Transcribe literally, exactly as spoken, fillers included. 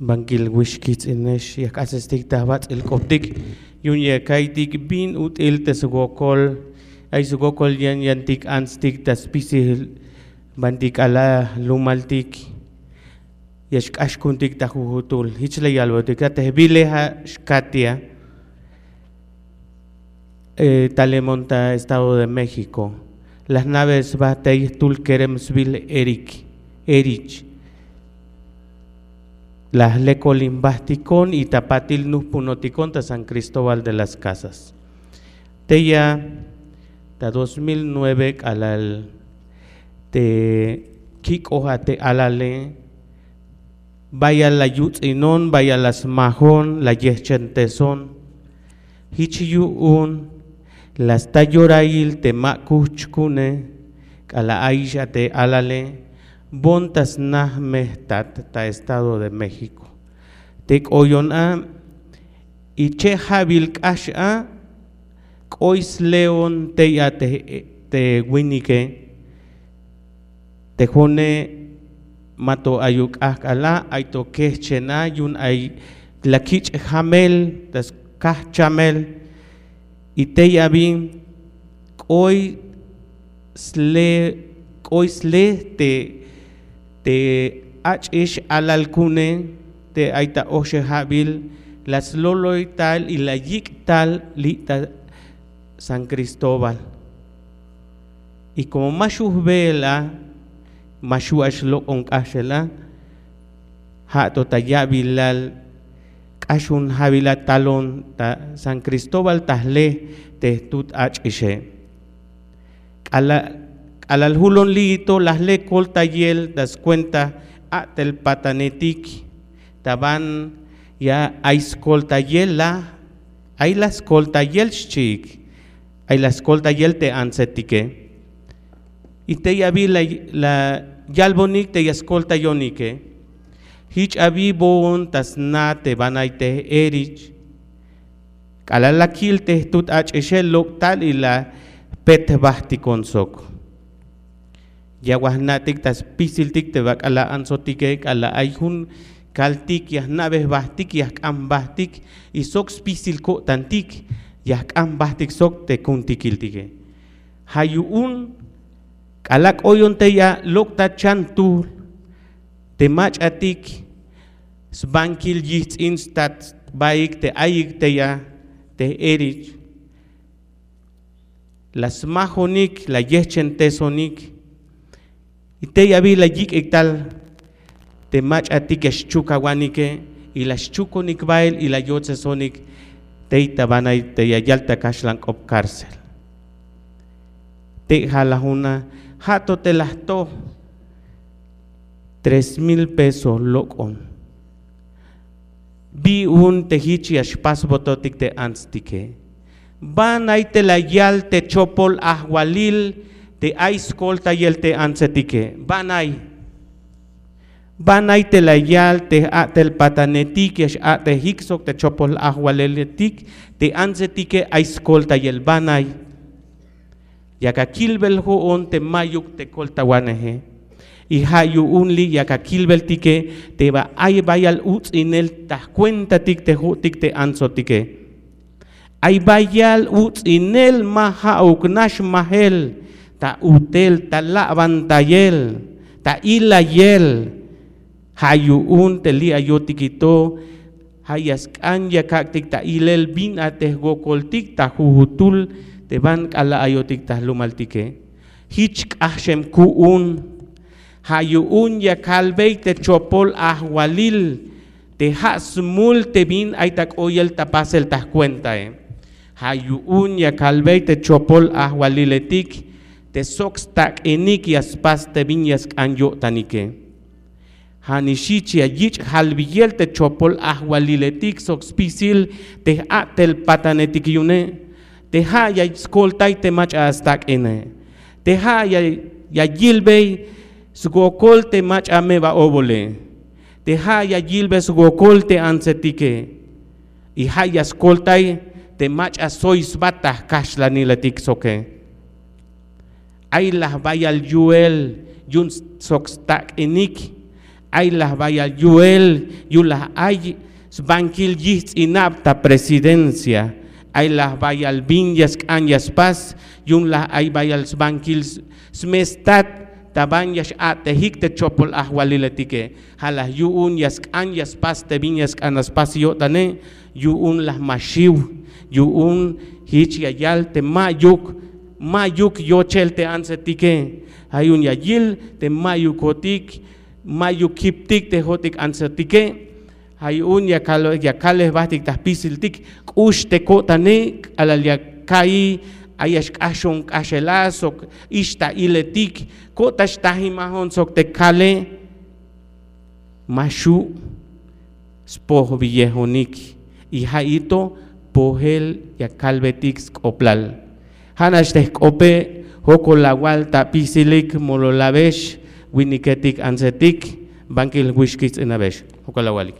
Bankil wix kijts'inex ya jk'asestik ta jbats'il k'optik yu'un ya ka'iytik bin ut'il te swokol, ay swokol yan yantik antstik ta spisil banti k'alal lumaltik ya xk'ax ku'untik ta jujutul. Jich la yalbotik a te jbile ja' xkatia talemon ta Estado de México. La jna'be sba tey jtul kerem sbil Erich, la jlekolin jbajtikon y ta patil nujpunotikon ta San Cristóbal de las Casas. Tey a ta dos mil nueve k'alal te kik'oj a te alale, bayal la yuts'inon, bayal la smajon, la yejchenteson. Jich yu'un la sta yorail te ma kujch ku'une k'alal ayix a te alale, bon ta sna jmejtat ta Estado de México. Te k'oyon a y che' ja'bil k'ax a k'oy sleon tey a te winike. Te jo'one ma to ayuk k'ajk'al a, ay to kejchen a yu'un ay la kich' jamel ta skajchamel. Y tey a bin k'oy sle k'oy sle te te ach'ix alal ku'une te ay ta oxeja'bil la sloloy tal y la yik' tal li' ta San Cristóbal. Y komo ma xju' jbe'el a, ma xju' a xlok'on k'axel a, ja' to ta ya'bilal k'ax jun ja'bil a talon ta San Cristóbal ta jle te jtut ach'ixe. K'alal julon li'i to la jle koltayel ta skuenta a'tel patanetik ta ban ya ay skoltayel la, ay la skoltayel xchiik, ay la skoltayel te antsetike. Y tey abi la yalbonik te ya skoltayonike. Jich abi bo'on ta sna te banay te Erich. K'alal la kil te jtut ach'ixe lok' tal y la jpet jbajtikon sok. Ya wal jna'tik ta spisiltik te bak'al la antsotike k'alal ay jun kaltik ya jna'be jbajtik ya jk'an jbajtik y sok spisil ko'tantik ya jk'an jbajtik sok te ku'untikiltike. Ja' yu'un k'alal k'oyon tey a lok' ta chan tuul te mach'atik sbankil yijts'in stat sbaik te ayik tey a te Erich. La smajonik la yejchentesonik. Y tey abi la yik'ik tal te mach'atik ya xchukawanike y la xchukonik bael y la yotsesonik tey ta banay te ya yal ta kaxlan k'op cárcel. Tey ja' la juna ja' to te la jtoj tres mil pesos lok'on. Bi un te jich ya xpasbototik te antstike? Banay te la yal te chopol ajwalil te ay skoltayel te antsetike? Banay? Banay te la yal te a'tel patanetik ya x'a'tejik sok te chopol ajwaliletik te antsetike ay skoltayel? Banay? Yak akilbel jo'on te mayuk te koltawaneje. Y ja' yu'un li' yak akilbeltike te ba ay bayal uts'inel ta jkuentatik te jo'tik te antsotike. Ay bayal uts'inel ma ja'uk nax majel ta utel ta la'bantayel ta ilayel. Ja' yu'un te li' ayotik to ja' ya sk'an ya kak'tik ta ilel bin a te jwokoltik ta jujutul te ban k'alal ayotik ta jlumaltike. Jich k'axem ku'un. Ja' yu'un ya kalbey te chopol ajwalil te ja' smul te bin ay ta k'oyel ta pasel ta jkuentae. Ja' yu'un ya kalbey te chopol ajwaliletik te sok stak'inik ya spas te bin ya sk'an yo'tanike. Ja' nix jich ya yich' jalbiyel te chopol ajwaliletik sok spisil te j'a'tel patanetik yu'une. Te ja' ya skoltay te mach'a stak'ine. Te ja' ya yilbey swokol te mach'a meba'obole. Te ja' ya yilbey swokol te antsetike. Y ja' ya skoltay te mach'a soy sba ta jkaxlaniletik soke. Ay laj bayal yu'el yu'un sok stak'inik. Ay laj bayal yu'el yu'un laj ay sbankil yijts'inab ta presidencia. Ay laj bayal bin ya sk'an ya spas yu'un laj ay bayal sbankil smestat ta ban ya x'a'tejik te chopol ajwaliletike. Ja' laj yu'un ya sk'an ya spas te bin ya sk'an ya spas yo'tane yu'un laj ma xiw yu'un jich ya yal te ma'yuk ma'yuk yochel te antsetike. Ja' yu'un ya yil te ma'yukotik ma'yuk kiptik te jo'tik antsetike. Ja' yu'un ya kale jbahtik ta jpisiltik k'ux te ko'tane k'alal ya ka'i ay ya xk'axon k'axela sok ixta'iletik ko'ta xtajimajon sok te kale ma xu' spojbiyejonik. Y ja'i to pojel ya kalbetik sk'oblal. Ja' nax te jk'ope' jokol awal ta apisilik mololabex winiketik antsetik bankil jwix kijts'inabex. Jokol awalik.